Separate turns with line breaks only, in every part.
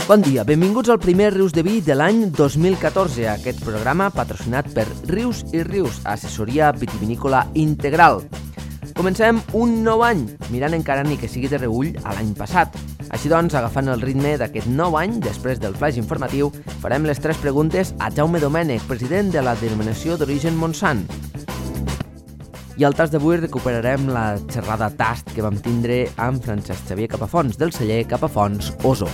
Bon dia, benvinguts al primer Rius de Vi de l'any 2014, aquest programa patrocinat per Rius i Rius, assessoria vitivinícola integral. Comencem un nou any, mirant encara ni que sigui de reüll a l'any passat. Així doncs, agafant el ritme d'aquest nou any, després del flaix informatiu, farem les 3 preguntes a Jaume Domènech, president de la denominació d'origen Montsant. I al tast d'avui recuperarem la xerrada tast que vam tindre amb Francesc Xavier Capafons, del celler Capafons Oso.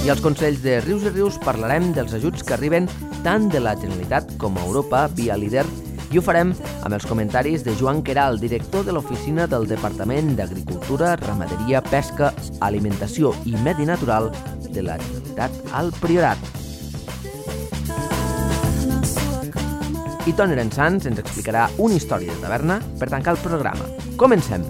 I als consells de Rius i Rius parlarem dels ajuts que arriben tant de la Generalitat com a Europa via líder, i ho farem amb els comentaris de Joan Queralt, director de l'Oficina del Departament d'Agricultura, Ramaderia, Pesca, Alimentació i Medi Natural de la Generalitat al Priorat. I Toni Rensans ens explicarà una història de taverna per tancar el programa. Comencem!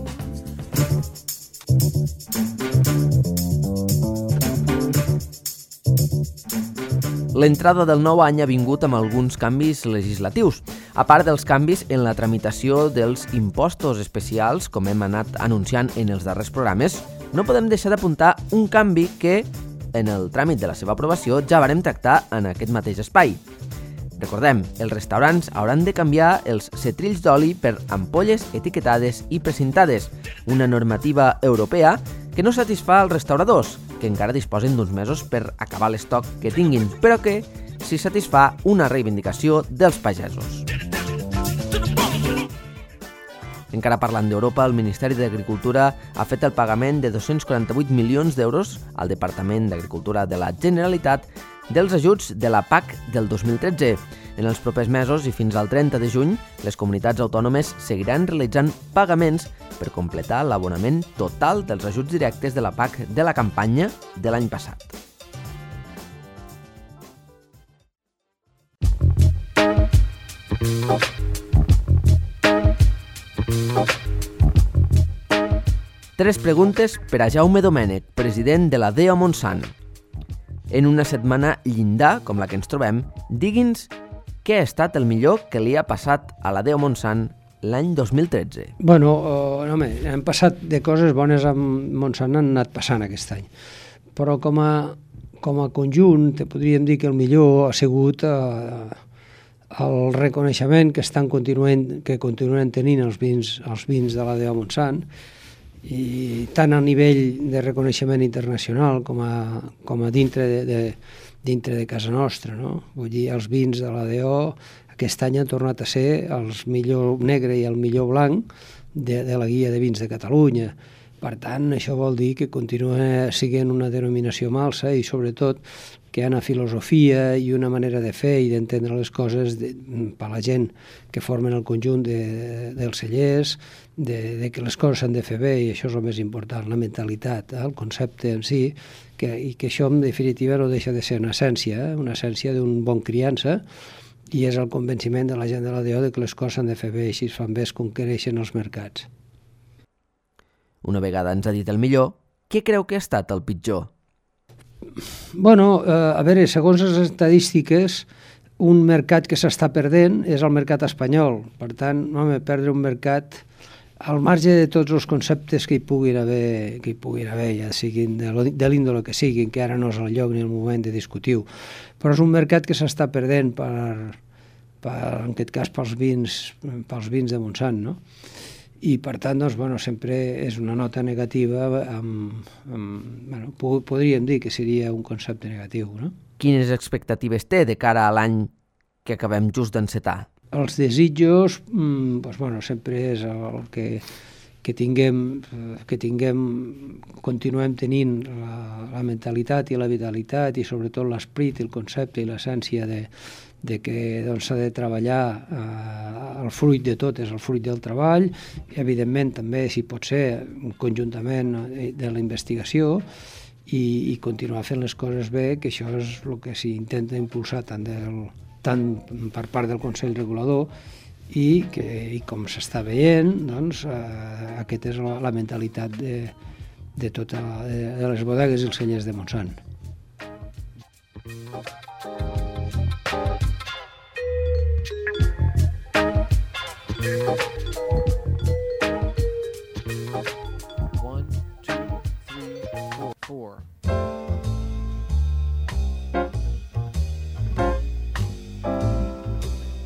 L'entrada del nou any ha vingut amb alguns canvis legislatius. A part dels canvis en la tramitació dels impostos especials, com hem anat anunciant en els darrers programes, no podem deixar d'apuntar un canvi que, en el tràmit de la seva aprovació, ja varem tractar en aquest mateix espai. Recordem, els restaurants hauran de canviar els setrills d'oli per ampolles etiquetades i precintades, una normativa europea que no satisfà als restauradors, que encara disposen d'uns mesos per acabar l'estoc que tinguin, però que sí satisfà una reivindicació dels pagesos. Encara parlant d'Europa, el Ministeri d'Agricultura ha fet el pagament de 248 milions d'euros al Departament d'Agricultura de la Generalitat dels ajuts de la PAC del 2013. En els propers mesos i fins al 30 de juny, les comunitats autònomes seguiran realitzant pagaments per completar l'abonament total dels ajuts directes de la PAC de la campanya de l'any passat. Tres preguntes per a Jaume Domènech, president de la DEO Montsant. En una setmana llindar, com la que ens trobem, digui'ns què ha estat el millor que li ha passat a la DEO Montsant l'any 2013.
Home, hem passat de coses bones amb Montsant, han anat passant aquest any. Però com a conjunt, te podríem dir que el millor ha sigut el reconeixement que continuen tenint els vins de la DEO Montsant, i tant a nivell de reconeixement internacional com a dintre de casa nostra, no? Vull dir, els vins de la DEO aquest any han tornat a ser els millor negre i el millor blanc de la guia de vins de Catalunya. Per tant, això vol dir que continua sent una denominació malsa i, sobretot, que hi ha una filosofia i una manera de fer i d'entendre les coses per a la gent que formen el conjunt dels cellers, de que les coses s'han de fer bé, i això és el més important, la mentalitat, el concepte en si, i que això, en definitiva, no deixa de ser una essència d'un bon criança, i és el convenciment de la gent de la DEO de que les coses s'han de fer bé, i si es fan bé es conquereixen els mercats.
Una vegada ens ha dit el millor, què creu que ha estat el pitjor?
A veure, segons les estadístiques, un mercat que s'està perdent és el mercat espanyol. Per tant, perdre un mercat al marge de tots els conceptes que hi puguin haver, ja siguin de l'índole que siguin, que ara no és el lloc ni el moment de discutir-ho, però és un mercat que s'està perdent en aquest cas pels vins de Montsant, no? I per tant, sempre és una nota negativa, podríem dir que seria un concepte negatiu, no?
Quines expectatives té de cara a l'any que acabem just d'encetar?
Els desitjos, sempre és el que continuem tenint la mentalitat i la vitalitat i sobretot l'esprit, el concepte i l'essència de que s'ha de treballar, el fruit de tot és el fruit del treball, i evidentment també, si pot ser, conjuntament de la investigació, i continuar fent les coses bé, que això és el que s'intenta impulsar tant per part del Consell Regulador, i com s'està veient, aquesta és la mentalitat de les bodegues i els cellers de Montsant.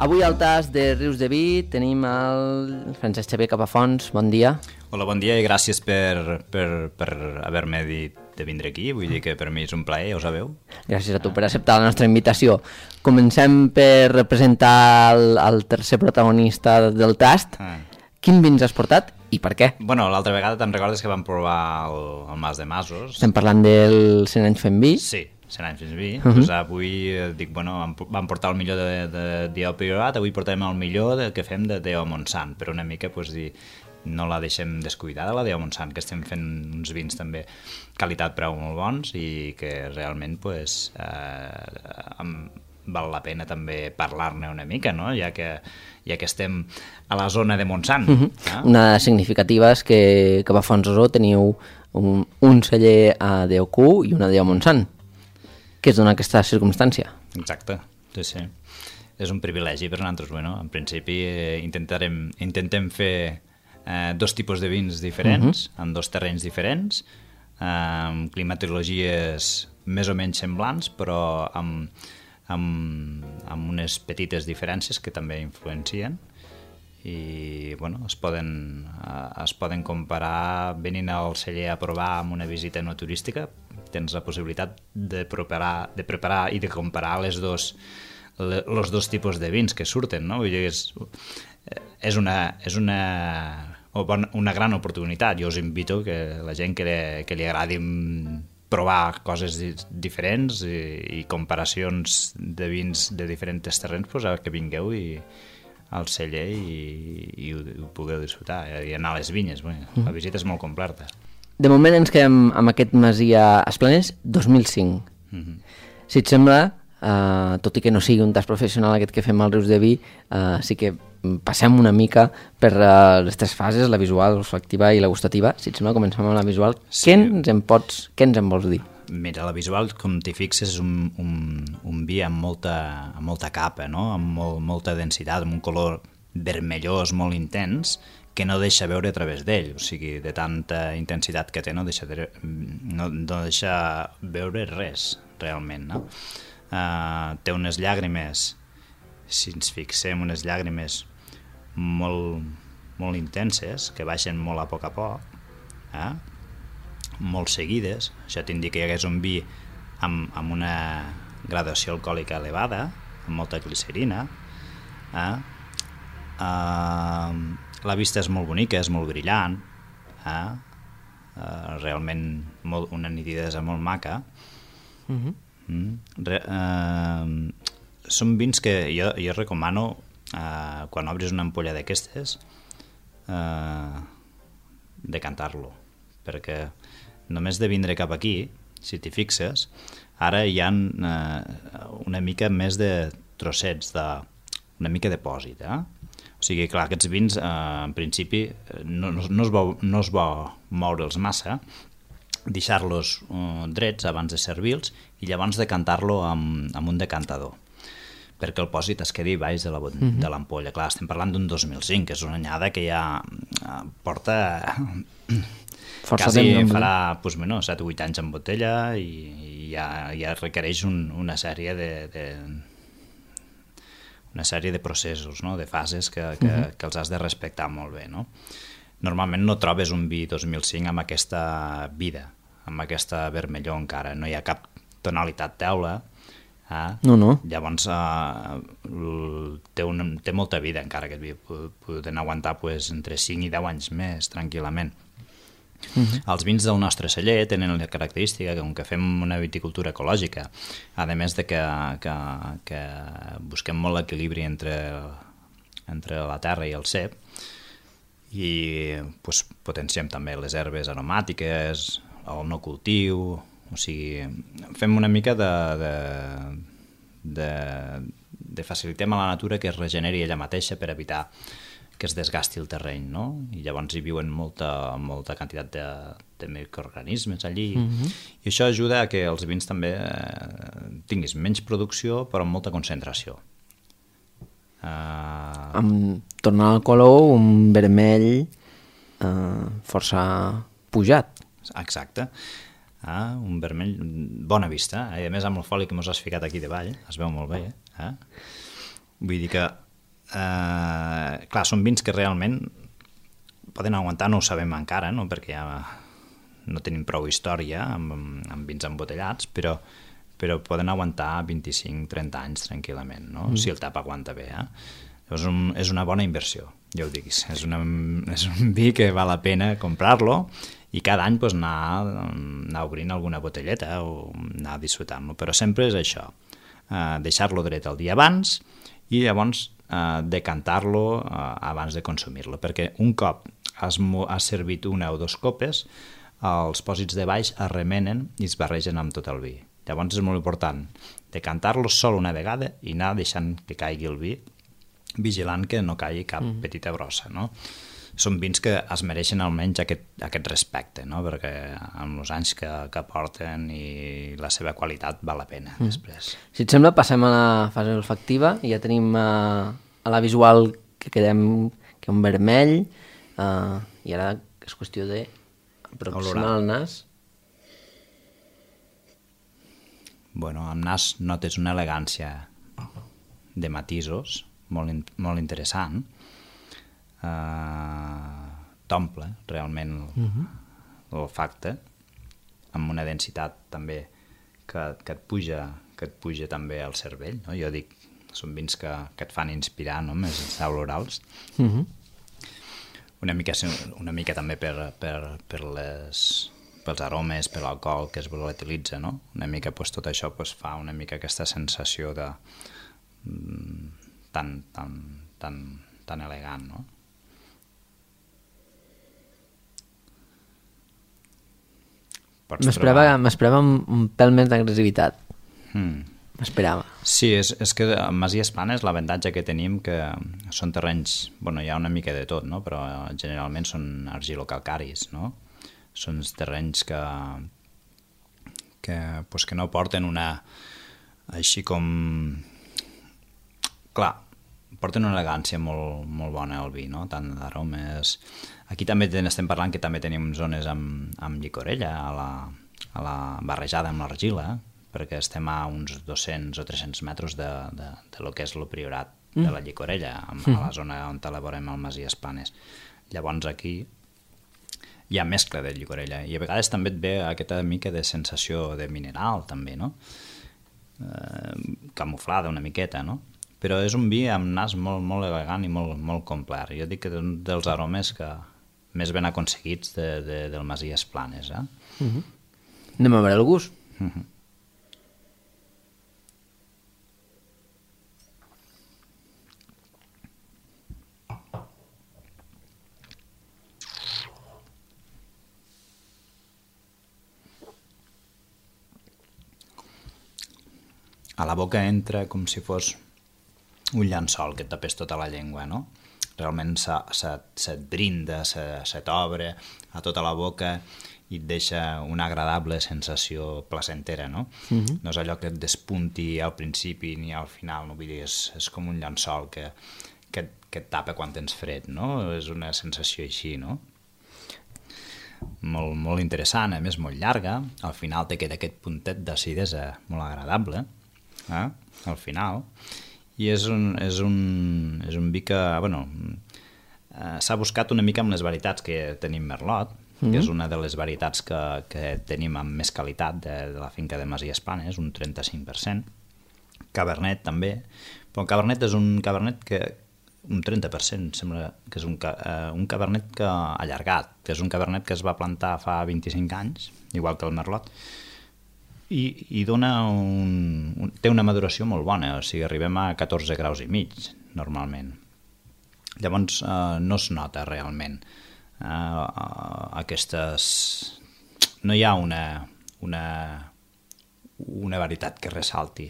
Avui al tas de Rius de Vi tenim el Francesc Xavier Capafons. Bon dia.
Hola, bon dia i gràcies per haver-me dit de vindre aquí. Vull dir que per mi és un plaer, ja ho sabeu.
Gràcies a tu per acceptar la nostra invitació. Comencem per presentar el tercer protagonista del tast. Quin vins has portat i per què?
Bueno, l'altra vegada te'n recordes que vam provar el Mas de Masos?
Estem parlant del 100 anys fent vi?
Sí, 100 anys fent vi. Doncs avui dic, bueno, vam portar el millor de Dieu Priorat, avui portem el millor que fem de Déu Montsant, però una mica, doncs, dir, no la deixem descuidada, la Déu Montsant, que estem fent uns vins també qualitat-preu molt bons i que realment, doncs, val la pena també parlar-ne una mica, no? Ja que estem a la zona de Montsant.
Una significativa és que a Fonsosó teniu un celler a Déu-Cu i una a Déu Montsant. Què es dona aquesta circumstància?
Exacte, sí. És un privilegi per nosaltres. Bueno, en principi intentem fer dos tipus de vins diferents, en dos terrenys diferents, amb climatologies més o menys semblants, però amb unes petites diferències que també influencien i bueno, es poden comparar venint al celler a provar amb una visita no turística. Tens la possibilitat de preparar i de comparar els dos tipus de vins que surten, no? Vull dir, és una gran oportunitat. Jo us invito que la gent que li agradi provar coses diferents i comparacions de vins de diferents terrenys, doncs que vingueu al celler i ho pugueu disfrutar i anar a les vinyes. La visita és molt completa.
De moment ens quedem amb aquest Masia Esplanes 2005. Si et sembla, tot i que no sigui un tast professional aquest que fem al Rius de Vi, sí que passem una mica per les tres fases, la visual, l'olfactiva i la gustativa. Si et sembla, comencem amb la visual. Sí. Què ens en vols dir?
Mira, la visual, com t'hi fixes, és un vi amb molta capa, no? Amb molta densitat, amb un color vermellós molt intens, que no deixa veure a través d'ell. O sigui, de tanta intensitat que té, no deixa veure res, realment, no? Té unes llàgrimes, si ens fixem, unes llàgrimes molt intenses, que baixen molt a poc, molt seguides. Això t'indica que hi hagués un vi amb una gradació alcohòlica elevada, amb molta glicerina. La vista és molt bonica, és molt brillant, realment una nitidesa molt maca. Són vins que jo recomano quan obris una ampolla d'aquestes decantar-lo, perquè només de vindre cap aquí, si t'hi fixes, ara hi ha una mica més de trossets, una mica de pòsit, O sigui, clar, aquests vins, en principi, no es bo moure'ls massa, deixar-los drets abans de servir-los i llavors decantar-lo amb un decantador, perquè el pòsit es quedi baix de l'ampolla. Clar, estem parlant d'un 2005, que és una anyada que ja porta... quasi farà 7 o 8 anys en botella i ja requereix una sèrie de processos, no? De fases que els has de respectar molt bé, no? Normalment no trobes un vi 2005 amb aquesta vida, amb aquesta vermellor encara, no hi ha cap tonalitat teula.
No.
Llavors té molta vida encara aquest vi, poden aguantar entre 5 i 10 anys més tranquil·lament. Els vins del nostre celler tenen la característica que, com que fem una viticultura ecològica, a més de que busquem molt l'equilibri entre la terra i el cep, i potenciem també les herbes aromàtiques, el no cultiu, o sigui, fem una mica de facilitem a la natura que es regeneri ella mateixa per evitar que es desgasti el terreny, no? I llavors hi viuen molta quantitat de microorganismes allí, i això ajuda a que els vins també tinguis menys producció però amb molta concentració.
Tornant al color, un vermell força pujat.
Exacte. Un vermell, bona vista, i a més amb el foli que mos has ficat aquí davall, es veu molt bé. Vull dir que Clar, són vins que realment poden aguantar, no ho sabem encara, no? Perquè ja no tenim prou història amb vins embotellats, però poden aguantar 25-30 anys tranquil·lament, no? Si el tap aguanta bé. Llavors és una bona inversió, ja ho dic. És un vi que val la pena comprar-lo i cada any anar obrint alguna botelleta o anar disfrutant-lo. Però sempre és això, deixar-lo dret el dia abans i llavors decantar-lo abans de consumir-lo, perquè un cop has servit una o dos copes, els pòsits de baix es remenen i es barregen amb tot el vi. Llavors és molt important decantar-lo sol una vegada i anar deixant que caigui el vi, vigilant que no caigui cap petita brossa, no? Són vins que es mereixen almenys aquest respecte, no? Perquè amb els anys que porten i la seva qualitat val la pena després.
Si et sembla, passem a la fase olfactiva i ja tenim a la visual que quedem que un vermell i ara és qüestió d'aproximar el nas.
Bueno, amb nas notes una elegància de matisos molt interessant. T'omple realment l'olfacte amb una densitat també que et puja també al cervell, no? Jo dic, són vins que et fan inspirar, no? Més olorals. Una mica també pels aromes, per l'alcohol que es volatilitza, no? Una mica tot això fa una mica aquesta sensació de tan elegant, no?
M'esperava un pèl més d'agressivitat. M'esperava.
Sí, és que a Masies Planes l'avantatge que tenim que són terrenys, bueno, hi ha una mica de tot, no? Però generalment són argilocalcaris, no? Són terrenys que no porten una... així com... Clar, porten una elegància molt bona al vi, no? Tant d'aromes... Aquí també estem parlant que també tenim zones amb llicorella, barrejada amb l'argila, perquè estem a uns 200 o 300 metres de lo que és el priorat de la llicorella, a la zona on elaborem el Masies Planes. Llavors aquí hi ha mescla de llicorella i a vegades també et ve aquesta mica de sensació de mineral també, no? Camuflada una miqueta, no? Però és un vi amb nas molt elegant i molt complet. Jo dic que és un dels aromes que més ben aconseguits del Masies Planes.
Anem a veure el gust.
A la boca entra com si fos un llençol que et tapés tota la llengua, no? Realment se't brinda, se t'obre a tota la boca i et deixa una agradable sensació placentera, no? No és allò que et despunti al principi ni al final, no? Vull dir, és com un llençol que et tapa quan tens fred, no? És una sensació així, no? Molt interessant, a més molt llarga, al final te queda aquest puntet d'acidesa molt agradable, al final, i és un vi que, bueno, s'ha buscat una mica amb les varietats que tenim Merlot, que és una de les varietats que tenim amb més qualitat de la finca de Masies Planes, un 35%, Cabernet també, però el Cabernet és un Cabernet que un 30%, sembla que és un Cabernet allargat, que és un Cabernet que es va plantar fa 25 anys, igual que el Merlot, i té una maduració molt bona, o sigui, arribem a 14 graus i mig, normalment. Llavors no es nota realment aquestes... No hi ha una varietat que ressalti.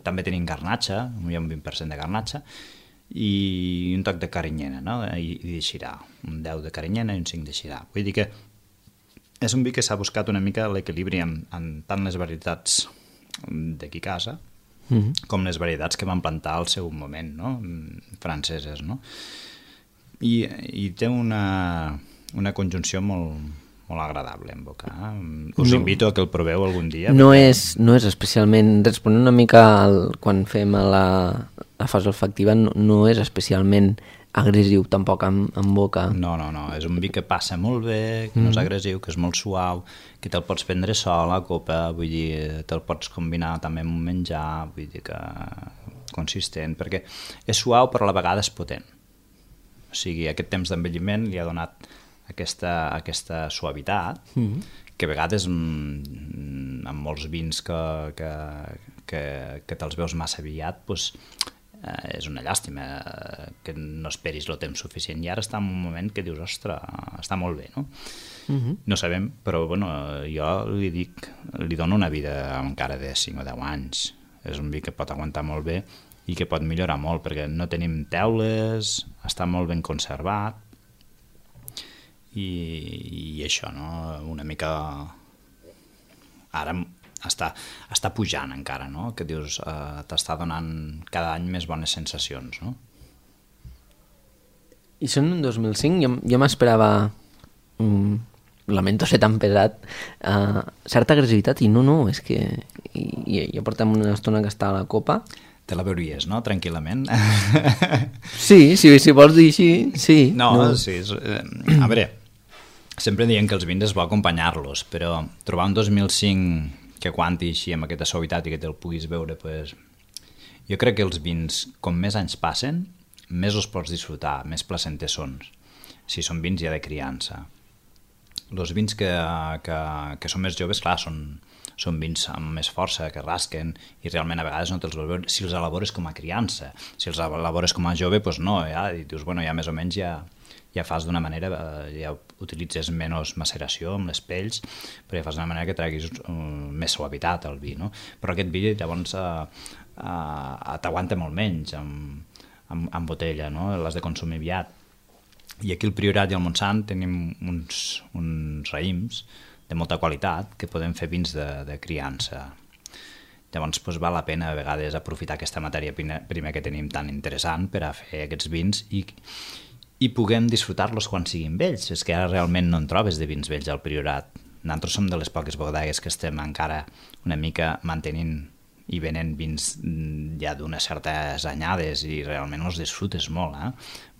També tenim garnatxa, hi ha un 20% de garnatxa, i un toc de carinyena, no? I de xirà, un 10 de carinyena i un 5 de xirà. Vull dir que és un vi que s'ha buscat una mica l'equilibri en tant les varietats d'aquí casa com les varietats que van plantar al seu moment, no? Franceses, no? I té una conjunció molt agradable en boca. Us invito a que el proveu algun dia.
No és especialment... Responent una mica quan fem la fase olfactiva no és especialment agressiu tampoc en boca.
No, és un vi que passa molt bé, que no és agressiu, que és molt suau, que te'l pots prendre sol a copa, vull dir, te'l pots combinar també amb un menjar, vull dir que consistent, perquè és suau però a la vegada és potent. O sigui, aquest temps d'envelliment li ha donat aquesta suavitat, que a vegades amb molts vins que te'ls veus massa aviat, doncs és una llàstima que no esperis el temps suficient, i ara està en un moment que dius, ostres, està molt bé, no? No sabem, però bueno, jo li dono una vida encara de 5 o 10 anys. És un vi que pot aguantar molt bé i que pot millorar molt, perquè no tenim teules, està molt ben conservat, i això, no? Una mica ara està pujant encara, no? Que dius, t'està donant cada any més bones sensacions, no?
I són un 2005, jo m'esperava, lamento ser tan pesat, certa agressivitat, i no, és que ja portem una estona que està a la copa.
Te la veuries, no? Tranquil·lament.
Sí, si vols dir així, sí.
Sí. A veure, sempre diem que els vins és bo acompanyar-los, però trobar un 2005 que aguanti així amb aquesta suavitat i que te'l puguis veure, pues, jo crec que els vins, com més anys passen, més els pots disfrutar, més placenters són, si són vins ja de criança. Els vins que són més joves, clar, són vins amb més força, que rasquen, i realment a vegades no te'ls vols veure si els elabores com a criança. Si els elabores com a jove, doncs no, ja, i dius, bueno, ja més o menys ja fas d'una manera, ja utilitzes menys maceració amb les pells, però ja fas d'una manera que treguis més suavitat al vi, no? Però aquest vi llavors t'aguanta molt menys en botella, no? L'has de consumir aviat. I aquí al Priorat i al Montsant tenim uns raïms de molta qualitat que podem fer vins de criança. Llavors val la pena a vegades aprofitar aquesta matèria prima que tenim tan interessant per a fer aquests vins i puguem disfrutar-los quan siguin vells. És que ara realment no en trobes de vins vells al Priorat. Nosaltres som de les poques bodegues que estem encara una mica mantenint i venent vins ja d'unes certes anyades, i realment els disfrutes molt.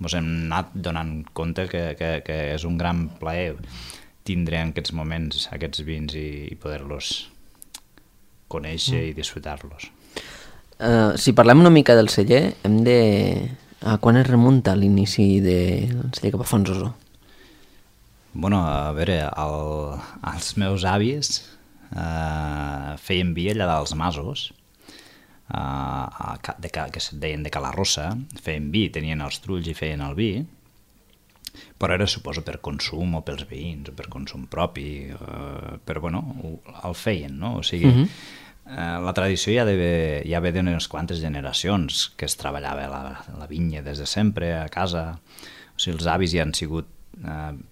Ens hem anat donant compte que és un gran plaer tindre en aquests moments aquests vins i poder-los conèixer i disfrutar-los.
Si parlem una mica del celler, hem de... Quan es remunta l'inici del celler cap a Fontsosó?
Bueno, a veure, els meus avis feien vi allà dels Masos, que es deien de Calarrossa, feien vi, tenien els trulls i feien el vi, però era, suposo, per consum o pels veïns, o per consum propi, però bueno, el feien, no? O sigui, la tradició ja ve d'unes quantes generacions que es treballava la vinya des de sempre a casa. O sigui, els avis ja han sigut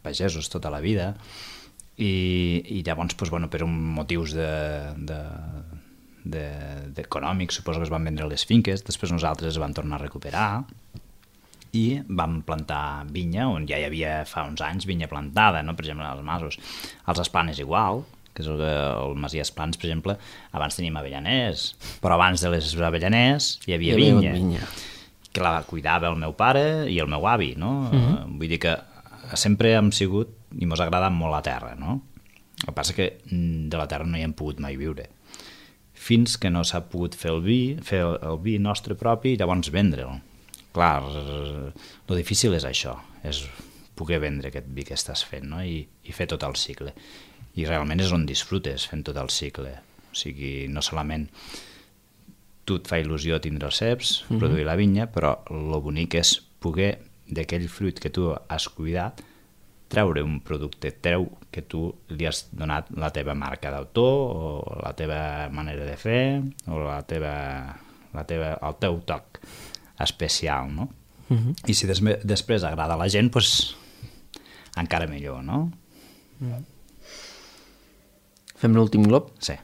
pagesos tota la vida, i llavors, per motius econòmics, suposo que es van vendre les finques, després nosaltres es van tornar a recuperar i vam plantar vinya, on ja hi havia fa uns anys vinya plantada, no? Per exemple, als Masos. Als Esplanes igual, que és el Masia Esplans, per exemple, abans teníem avellaners, però abans de les avellaners hi havia vinya, que la cuidava el meu pare i el meu avi, no? Vull dir que sempre hem sigut, i mos ha agradat molt la terra, no? El que passa que de la terra no hi hem pogut mai viure, fins que no s'ha pogut fer el vi nostre propi i llavors vendre'l. Clar, el difícil és això, és poder vendre aquest vi que estàs fent, no? I fer tot el cicle. I realment és on disfrutes fent tot el cicle. O sigui, no solament tu et fa il·lusió tindre els ceps, produir la vinya, però el bonic és poder d'aquell fruit que tu has cuidat treure un producte teu que tu li has donat la teva marca d'autor, o la teva manera de fer, o el teu toc especial, no? I si després agrada a la gent, doncs encara millor, no?
Fem l'últim glob?
Sí.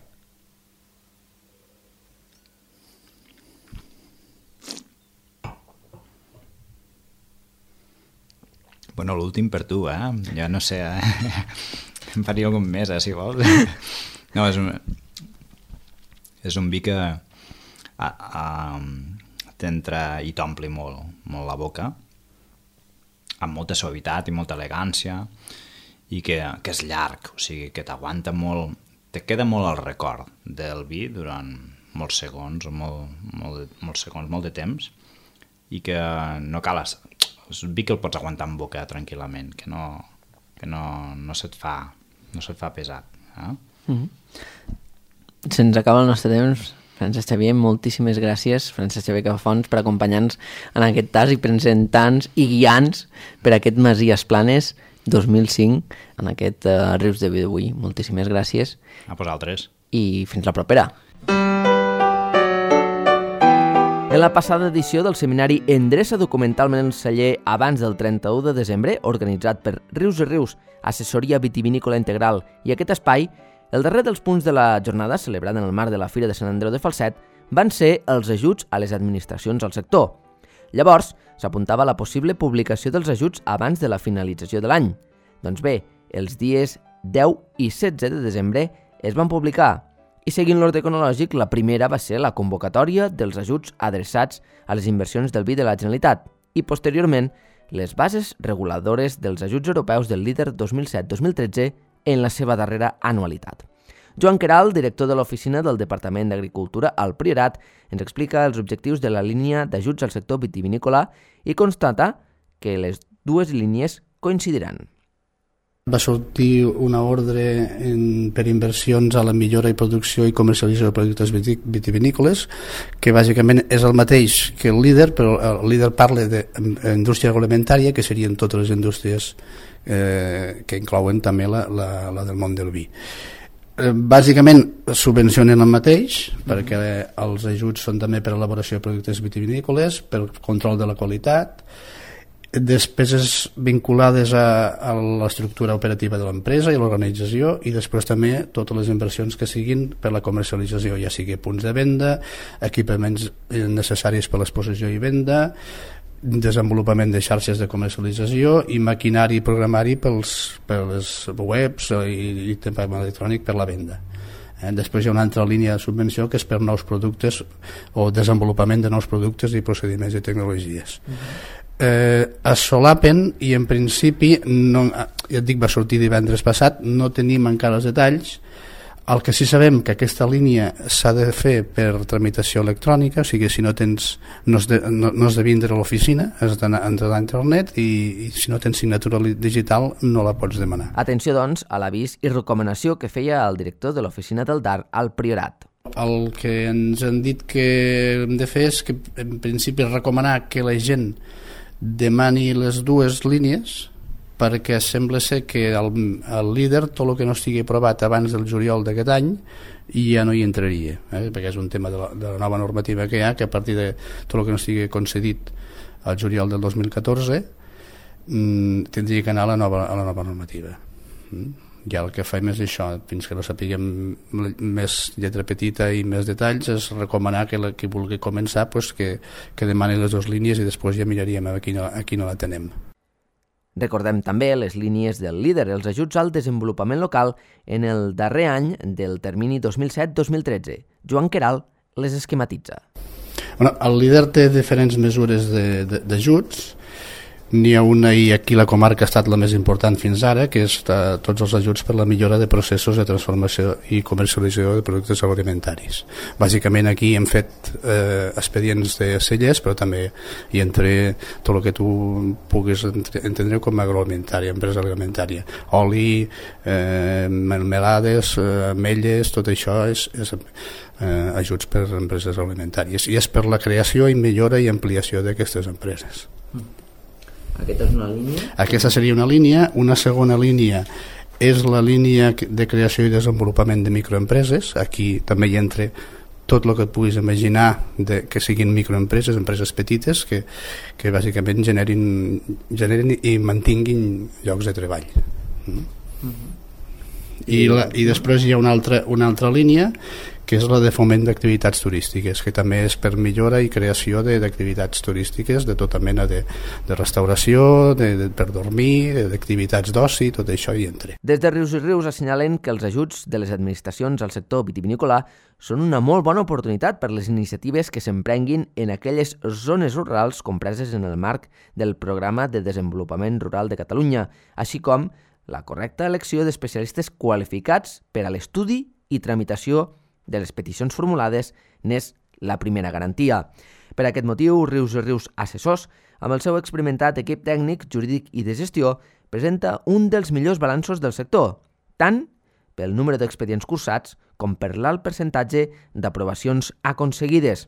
Bueno, l'últim per tu, Jo no sé, em faria algun més, si vols. No, és un vi que t'entra i t'ompli molt, molt la boca, amb molta suavitat i molta elegància, i que és llarg, o sigui, que t'aguanta molt, te queda molt el record del vi durant molts segons, molt de temps, i que no cal... És vi que el pots aguantar en boca tranquil·lament, que no se't fa pesat.
Se'ns acaba el nostre temps. Francesc Xavier, moltíssimes gràcies, Francesc Xavier Capafons, per acompanyar-nos en aquest tas i presentar-nos i guiar-nos per aquest Masies Planes 2005 en aquest Rius de Vi d'avui. Moltíssimes gràcies.
A vosaltres.
I fins la propera. En la passada edició del seminari Endreça documentalment el celler abans del 31 de desembre, organitzat per Rius i Rius, Assessoria Vitivinícola Integral i aquest espai, el darrer dels punts de la jornada, celebrat en el marc de la Fira de Sant Andreu de Falset, van ser els ajuts a les administracions al sector. Llavors, s'apuntava la possible publicació dels ajuts abans de la finalització de l'any. Doncs bé, els dies 10 i 16 de desembre es van publicar, i seguint l'ordre cronològic, la primera va ser la convocatòria dels ajuts adreçats a les inversions del vi de la Generalitat i, posteriorment, les bases reguladores dels ajuts europeus del LEADER 2007-2013 en la seva darrera anualitat. Joan Queralt, director de l'Oficina del Departament d'Agricultura al Priorat, ens explica els objectius de la línia d'ajuts al sector vitivinícola i constata que les dues línies coincidiran.
Va sortir una ordre per inversions a la millora i producció i comercialització de productes vitivinícoles, que bàsicament és el mateix que el líder, però el líder parla d'indústria agroalimentària, que serien totes les indústries que inclouen també la del món del vi. Bàsicament subvencionen el mateix, perquè els ajuts són també per elaboració de productes vitivinícoles, per control de la qualitat, despeses vinculades a l'estructura operativa de l'empresa i l'organització, i després també totes les inversions que siguin per la comercialització, ja sigui punts de venda, equipaments necessaris per l'exposició i venda, desenvolupament de xarxes de comercialització i maquinari i programari per les webs i tema electrònic per la venda. Després hi ha una altra línia de subvenció que és per nous productes o desenvolupament de nous productes i procediments i tecnologies. Es solapen i en principi ja et dic, va sortir divendres passat, no tenim encara els detalls. El que sí sabem que aquesta línia s'ha de fer per tramitació electrònica, o sigui, si no tens no has de vindre a l'oficina, has d'entrar a internet, i si no tens signatura digital no la pots demanar.
Atenció, doncs, a l'avís i recomanació que feia el director de l'oficina del DAR al Priorat.
El que ens han dit que hem de fer és que en principi recomanar que la gent demani les dues línies, perquè sembla ser que el líder, tot el que no estigui aprovat abans del juliol d'aquest any, ja no hi entraria, perquè és un tema de la nova normativa que hi ha, que a partir de tot el que no estigui concedit al juliol del 2014 tindria que anar a la nova normativa. Ja el que fem és això, fins que no sapiguem més lletra petita i més detalls, és recomanar que qui vulgui començar que demani les dues línies i després ja miraríem a qui no la tenem.
Recordem també les línies del líder, els ajuts al desenvolupament local en el darrer any del termini 2007-2013. Joan Queralt les esquematitza.
El líder té diferents mesures d'ajuts. N'hi ha una, i aquí la comarca ha estat la més important fins ara, que és tots els ajuts per la millora de processos de transformació i comercialització de productes agroalimentaris. Bàsicament aquí hem fet expedients de cellers, però també hi entra tot el que tu puguis entendre com a agroalimentària, empresa agroalimentària. Oli, melmelades, ametlles, tot això és ajuts per empreses agroalimentàries. I és per la creació i millora i ampliació d'aquestes empreses.
Aquesta és una línia?
Aquesta seria una línia. Una segona línia és la línia de creació i desenvolupament de microempreses. Aquí també hi entra tot el que et puguis imaginar que siguin microempreses, empreses petites que bàsicament generin i mantinguin llocs de treball. I després hi ha una altra línia, que és la de foment d'activitats turístiques, que també és per millora i creació d'activitats turístiques de tota mena de restauració, per dormir, d'activitats d'oci, tot això hi entra.
Des de Rius i Rius assenyalen que els ajuts de les administracions al sector vitivinícola són una molt bona oportunitat per les iniciatives que s'emprenguin en aquelles zones rurals compreses en el marc del Programa de Desenvolupament Rural de Catalunya, així com la correcta elecció d'especialistes qualificats per a l'estudi i tramitació de les peticions formulades n'és la primera garantia. Per aquest motiu, Rius i Rius Assessors, amb el seu experimentat equip tècnic, jurídic i de gestió, presenta un dels millors balanços del sector, tant pel número d'expedients cursats com per l'alt percentatge d'aprovacions aconseguides.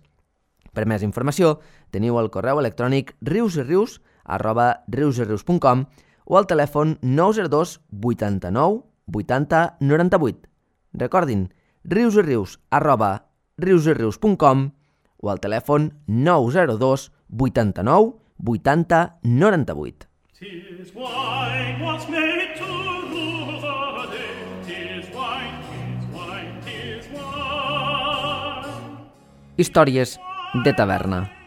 Per més informació, teniu el correu electrònic riusirius@riusirius.com o al telèfon 902 89 80 98. Recordin, riusirius@riusirius.com o al telèfon 902 89 80 98.
Tis wine was made to rule the day. Tis wine, tis wine, tis wine.
Històries de taverna.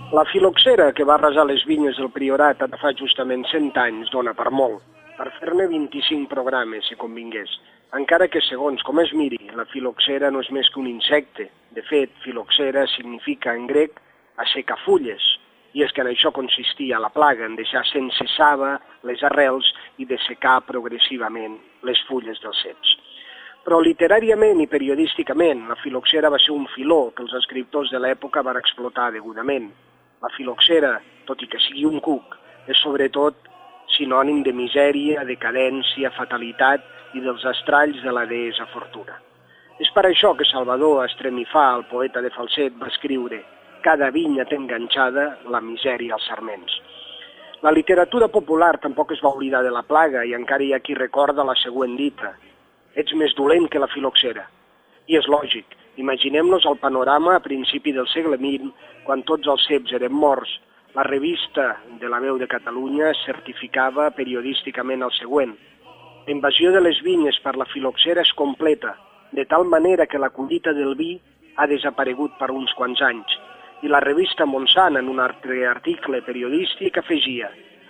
La filoxera que va arrasar les vinyes del Priorat ara fa justament 100 anys dona per molt, per fer-ne 25 programes, si convingués. Encara que, segons com es miri, la filoxera no és més que un insecte. De fet, filoxera significa en grec assecafulles, i és que en això consistia la plaga, en deixar sense saba les arrels i dessecar progressivament les fulles dels ceps. Però literàriament i periodísticament, la filoxera va ser un filó que els escriptors de l'època van explotar degudament. La filoxera, tot i que sigui un cuc, és sobretot sinònim de misèria, decadència, fatalitat i dels estralls de la deessa Fortuna. És per això que Salvador Estremifà, el poeta de Falset, va escriure «Cada vinya té enganxada la misèria als sarments». La literatura popular tampoc es va oblidar de la plaga i encara hi ha qui recorda la següent dita «Ets més dolent que la filoxera». I és lògic, imaginem-nos el panorama a principi del segle XX, quan tots els ceps eren morts. La revista de la Veu de Catalunya certificava periodísticament el següent. La invasió de les vinyes per la filoxera és completa, de tal manera que la collita del vi ha desaparegut per uns quants anys. I la revista Montsant, en un altre article periodístic, afegia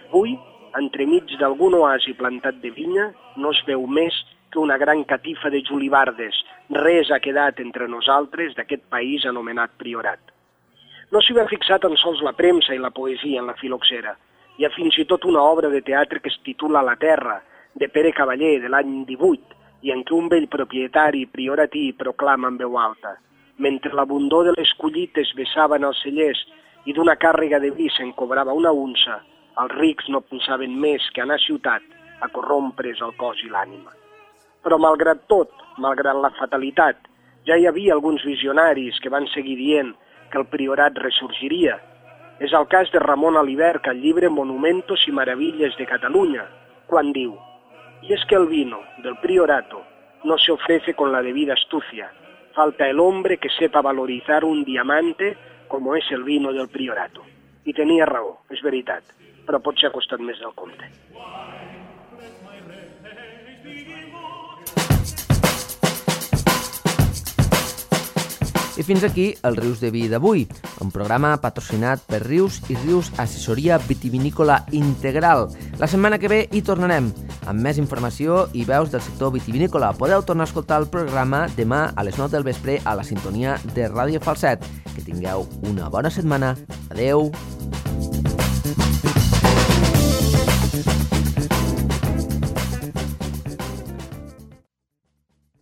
«Avui, entremig d'algun oasi plantat de vinya, no es veu més que una gran catifa de julibardes. Res ha quedat entre nosaltres d'aquest país anomenat Priorat». No s'hi va fixar tan sols la premsa i la poesia en la filoxera. Hi ha fins i tot una obra de teatre que es titula La Terra, de Pere Cavaller, de l'any 18, i en què un vell propietari prioratí proclama en veu alta: mentre l'abundor de les collites vessaven els cellers i d'una càrrega de vi se'n cobrava una unça, els rics no pensaven més que anar a ciutat a corrompre's el cos i l'ànima. Però malgrat tot, malgrat la fatalitat, ja hi havia alguns visionaris que van seguir dient que el Priorat ressorgiria. És el cas de Ramon Alibert, al llibre Monumentos y Maravillas de Cataluña, quan diu: y es que el vino del Priorato no se ofrece con la debida astucia. Falta el hombre que sepa valorizar un diamante como es el vino del Priorato. I tenia raó, és veritat, però potser ha costat més del compte.
I fins aquí el Rius de Vi d'avui, un programa patrocinat per Rius i Rius Assessoria Vitivinícola Integral. La setmana que ve hi tornarem, amb més informació i veus del sector vitivinícola. Podeu tornar a escoltar el programa demà a les 9 del vespre a la sintonia de Ràdio Falset. Que tingueu una bona setmana. Adeu!